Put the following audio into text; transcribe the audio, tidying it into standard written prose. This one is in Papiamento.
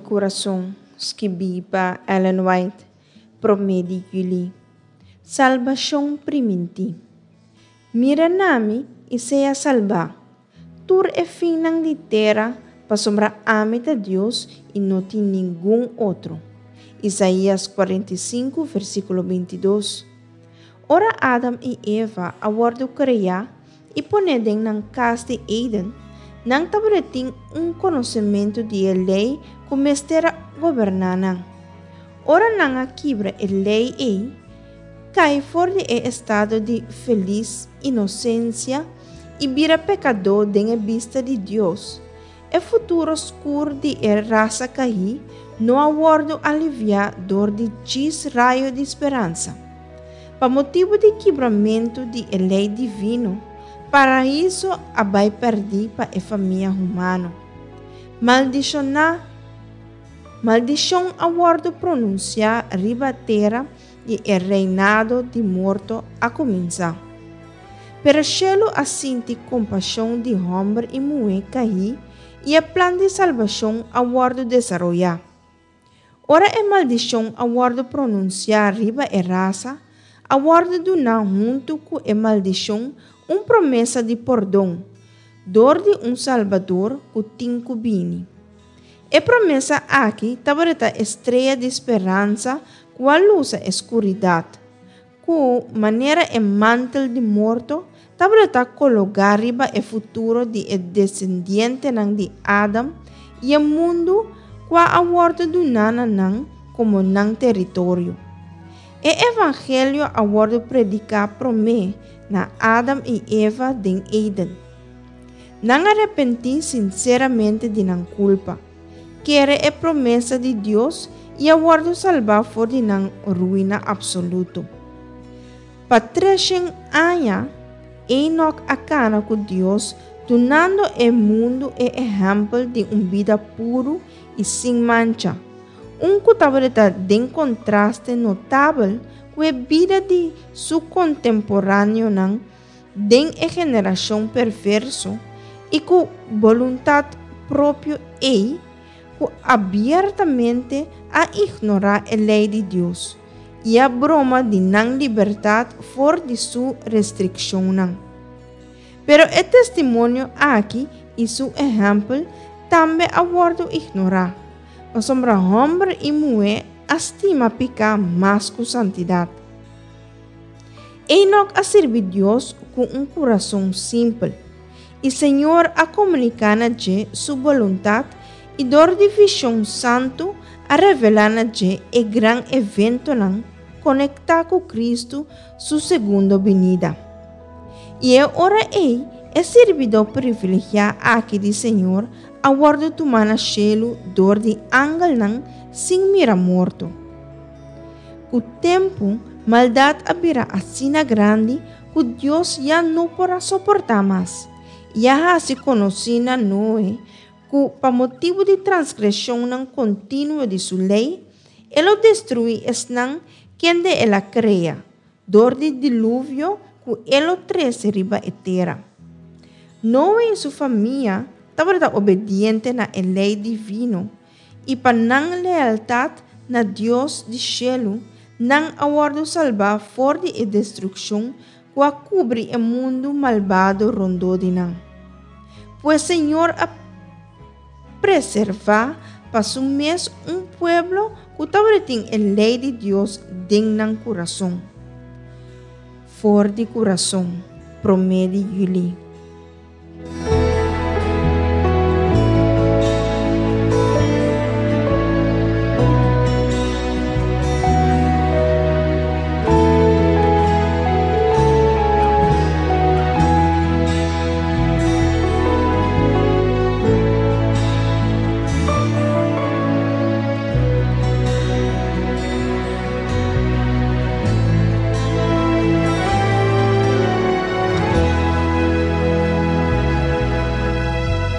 Kurason, skibí pa Ellen White, promé di yüli. Salbashon primintí. Mira na mi i sea salbá, tur e finnan di tera, pasobra ami ta Dios i no tin ningun otro. Isaías 45, versíkulo 22. Ora Adam i Eva a wòrdu kreá i poné den nan kas di Eden, nan tabatin un konosementu di e lei ku mester a goberná nan. Ora nan a kibra e lei ei, kai for di e estado di felis inosensia i bira pekadó den e bista di Dios, e futuro skur di e rasa kaí no a wòrdu aliviá dor di djis rayo di speransa. Pa motibu di kibramentu di e lei divino, Paraiso a bai pèrdí pa e famia humano. Maldishoná, Maldishon a wòrdu pronunsiá riba tera i e reinado di morto a kuminsá. Pero shelu a sinti kompashon di hòmber i muhé kaí i e plan di salbashon a wòrdu desaroyá. Ora e maldishon a wòrdu pronunsiá riba e rasa, a wòrdu duná huntu ku e maldishon un promesa di pordon dor di un Salbador ku tin ku bini. E promesa aki tabata e strea di speransa ku a lusa e skuridat, ku, manera e mantel di morto, tabata kologá riba e futuro di e desendientenan di Adam i e mundu kua a wòrdu duná na nan komo nan teritorio. E evangelio a wòrdu prediká promé na Adam i Eva den Eden. Nan a repentí sinseramente di nan kulpa, kere e promesa di Dios i a wòrdu salbá for di nan ruina apsoluto. Pa treshen aña, Enok a kana ku Dios, dunando e mundu e ehèmpel di un bida puru i sin mancha, un ku tabata den kontraste notabel ku e bida di su kontemporáneonan den e generashon perverso i ku boluntat propio ei ku abiertamente a ignorá e lei di Dios i a broma di nan libertat for di su restrikshonnan. Pero e testimonio aki i su ehèmpel tambe a wòrdu ignorá, pasobra hòmber i muhé a stima piká mas ku santidat. Enok a sirbi Dios ku un kurason simpel, i Señor a komuniká na dje su boluntat i dor di vishon santu a revelá na dje e gran eventonan konektá ku Kristu su segundo binida. I e ora ei e sirbidó privilegiá aki di Señor a wòrdu tumá na shelu dor di angelnan sin mira morto. Ku tempu, maldat a bira asina grandi ku Dios ya no por a soportá mas, i a hasi konosí na Noe ku pa motibu di transgreshonnan kontinuo di su lei, e lo destruí esnan kende el a krea, dor di diluvio ku e lo trese riba e tera. Noe i su famia tabata obediente na e lei divino I pa nan lealtat na Dios di shelu, nan a wòrdu salbá for di e destrukshon ku a kubri e mundu malbado rondó di nan. Pues Señor a preservá pa su mes un pueblo ku tabatin e lei di Dios den nan kurason. For di kurason, promé di yüli.